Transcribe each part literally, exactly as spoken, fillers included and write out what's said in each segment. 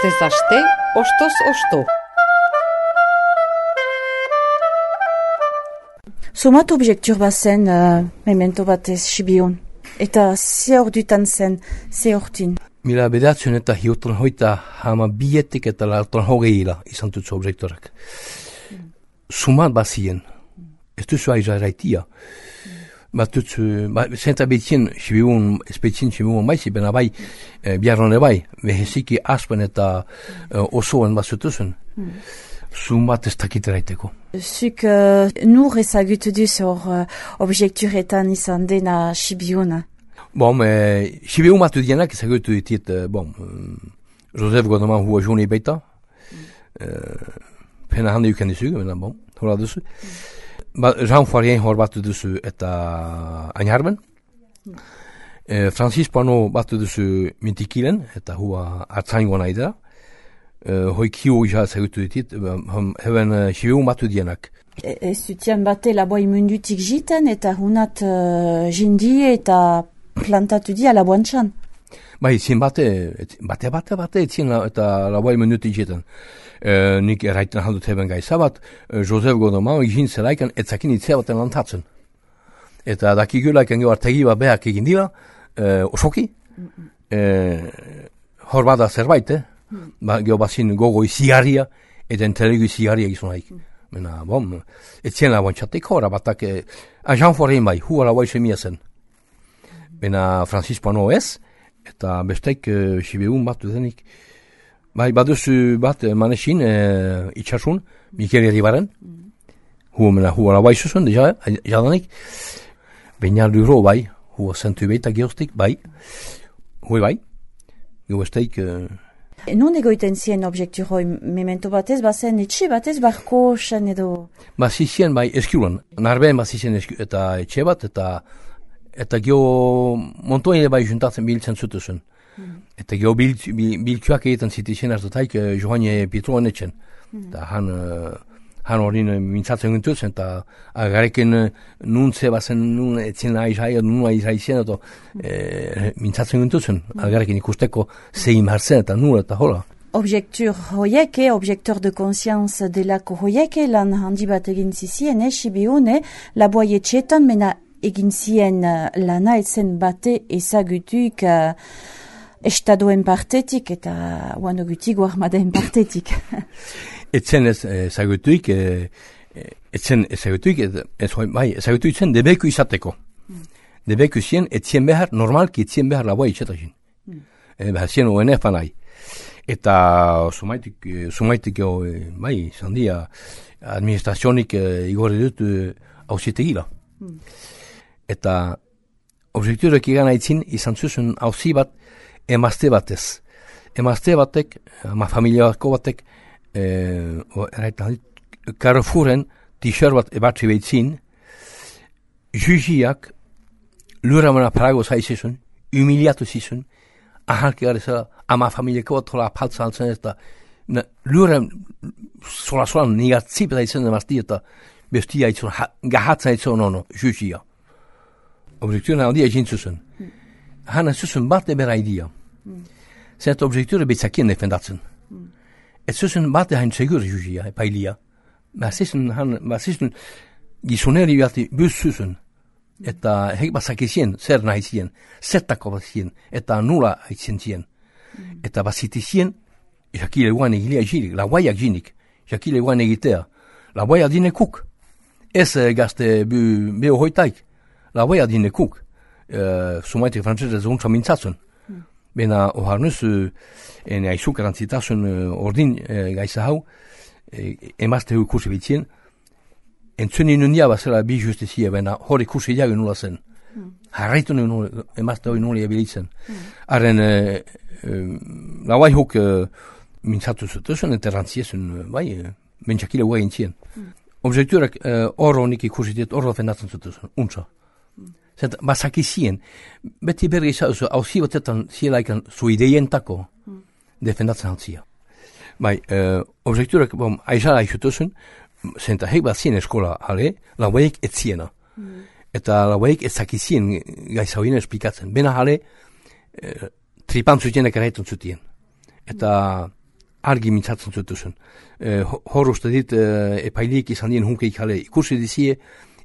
Astez aste, ostoz osto. Somat objektur bat zen, uh, memento batez, Sibiun. Eta ze ordutan zen, ze ortin. Mila bedatzen eta hiutan hoita hama bietik eta lartan hogeila izan tutsu objektorak. Mm. Sumat bazien, ez duzu aiza eraitia. Bat tutsu, zenta betien Sibiun, espetzien Sibiun baizi, bena bai, e, biarrone bai, beheziki aspen eta e, osoen bazutuzun. Mm. Sumat ez dakiteraiteko. Zuk uh, nur ezagutu duz hor uh, objekturetan izan dena Sibiuna. Bon, eh, Sibiun batu dienak ezagutu ditit, eh, bon, eh, Joseph Godeman hua joni baita, mm. eh, pena hande yuken dizu, mena bon, hola duzu. Mm. Ba, Jean Foirien hor batu duzu eta Añarben. Mm. Eh, Francis Pano batu duzu Mintikilen, eta hua hartzaingoa nahi dira. Uh, hoi kiu ja ezagutu ditit, heven uh, Sibiun batu dienak. E, ez zutian bate laboi mundutik jiten, eta hunat uh, jindi eta plantatu di alaboantxan. Bai, zin bate, bate, bate, bate, zin la, eta laboi mundutik jiten. Uh, nik erraiten handut heven gai zabat, uh, Joseph Godeman egin zelaikan etzakin itzea baten lantatzen. Eta dakigulaikan gau artegi bat behak egin dira, uh, osoki, mm -mm. uh, hor bada zerbait, eh? Hmm. Ba, geho bazin gogoi zigarria, eta entelegu zigarria gizun haik. Hmm. Mena, bom, etzien laboan txatek hora, batak, eh, a Jean Forein bai, hua laboa isemia zen. Hmm. Mena, Francis Pano ez, eta besteik eh, Sibiun bat dudenik. Bai, baduzu bat, eh, manesin, eh, itxasun, Mikel Eribaren, hmm. hua, mena, hua laboa isuzun, deja, eh, jadanik. Baina luro bai, hua zentu beita geostik, bai, hui bai, geho besteik, eh, Non egoiten zien objektu hoi memento batez, bazen etxe batez, barko zen edo? Bazizien bai eskiulan, narbeen bazizien eskiulan, eta etxe bat, eta eta geho montoine bai juntatzen biltzen zutuzun. Mm. Eta geho bil, bil, biltuak egiten zitizien hartutaik uh, Johanne Pietroan etxen. Mm. Eta han, uh, han horin uh, mintzatzen gintuzen, eta agareken uh, nuntze bazen nun etzien aizai, nun aizai eta mm. eh, mintzatzen gintuzen. Mm. Agareken ikusteko zein hartzen eta nun eta hola. Objektur hoieke, objektor de konsianz delako hoieke, lan handi bat egin zizien, eh, Sibiun, eh, laboai etxetan, mena egin zien uh, lana etzen bate ezagutuik uh, estadoen partetik eta uanogutik guarmadaen partetik. Etzen ezagutuik, etzen ezagutuik, ez hoi, bai, ezagutuik zen debeku izateko. Mm. Debeku zien, etzien behar, normalki etzien behar laboa itxetazin. Mm. E, behar zien O N F anai. Eta sumaitik, sumaitik, e, bai, zandia, administrazionik e, igorri dut e, hausitegila. Mm. Eta objekturek egan aitzin izan zuzun hausi bat emazte batez. Emazte batek, ama familiako batek, Eh, Carrefouren t-shirt bat ebatzi behitzin, jujiak luramana parago zaizizun, humiliatu zizun, ahalki gareza ama familiako bat hola apaltza altzen eta luram sola-sola nigatzip da izan emazti eta bestia itzun, gahatza itzun nono, jujia. Objekturen handia egin zuzun. Mm. Hana zuzun bat ebera idea. Mm. Zenta objekturen betzakien defendatzen. Mm. Ez zuzen bate hain segur jujia, pailia. Bazizun, bazizun, gizuneri bati buz zuzen. Eta hek bazakizien, zer nahi zien, zertako bazien, eta nula haitzen zien. Mm. Eta bazitizien, jakile guan egilia jirik, la guaiak jinik, jakile guan egitea. La guaia dinekuk. Ez gazte beho hoitaik. La guaia dinekuk. Uh, Sumaitek frantzese zuntza mintzatzen. Bena, oharnuz, en aizuk erantzitasun ordin e, gaiza hau, e, emazte hu kursi bitzien, entzuni nundia bazela bi justizia, bena hori kursi jagu nula zen. Mm. Harraitu nuen emazte hori nula ebilitzen. Mm. Arren, e, e, lauai huk e, mintzatu zutuzun, eta erantziezun, bai, e, bentsakile guai entzien. Mm. Objekturak horro e, nik ikursi diet, horro fendatzen zutuzun, untza. Zeta, bazakizien, beti berri zauzu, hauzi batetan zielaikan zu ideientako mm. defendatzen haltzia. Bai, uh, objekturak, bom, aizala aixutuzun, zenta hek bat zien eskola, ale, lauaik etziena. Mm. Eta lauaik ezakizien gaizauina esplikatzen. Bena hale, uh, tripan zutienek erraitun zutien. Eta argi mintzatzen zutuzun. E, hor uste dit, e, epailik izan dien hunkeik jale ikusi dizie,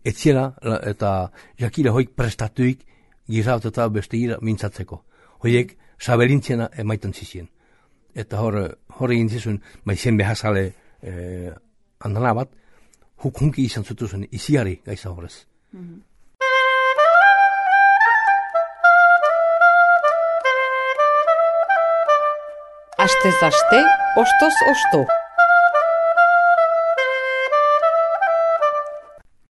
etziela eta jakila hoik prestatuik gizat eta beste gira mintzatzeko. Hoiek saberintziena emaiten zizien. Eta hor, hor egin zizun, maizen behazale e, andana bat, huk hunki izan zutuzun iziari gaiza horrez. Mm-hmm. Astez aste, ostoz osto.